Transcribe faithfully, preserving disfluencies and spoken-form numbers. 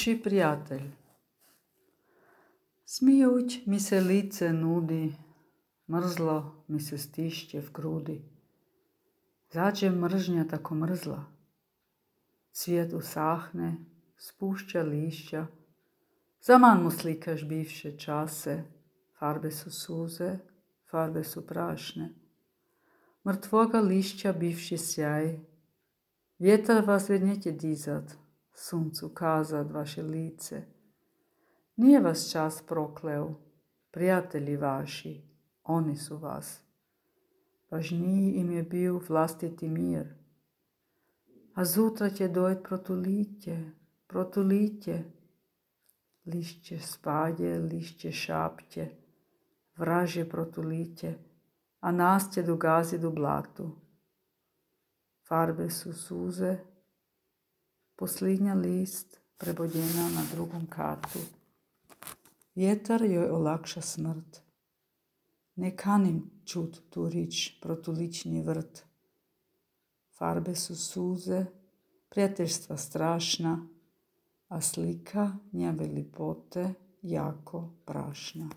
Loši prijatelj. Smijuć mi se lice nudi, mrzlo mi se stišće v grudi. Zađe mržnja tako mrzla, cvijet usahne, spušća lišća, zaman mu slikaš bivše čase, farbe su suze, farbe su prašne. Mrtvoga lišća bivši sjaj, vjetar vas već neće dizat, suncu kazat vaše lice. Nije vas čas prokleo, prijatelji vaši, oni su vas. Važniji im je bio vlastiti mir. A zutra će dojt protulitje, protulitje. Lišće spadje, lišće šapće, vražje protulitje, a nas će dogazit u blatu. Farbe su suze, posljednja list prebodjena na drugom katu. Vjetar joj olakša smrt. Ne kanim čut tu rič protulični vrt. Farbe su suze, prijateljstva strašna, a slika njave lipote jako prašna.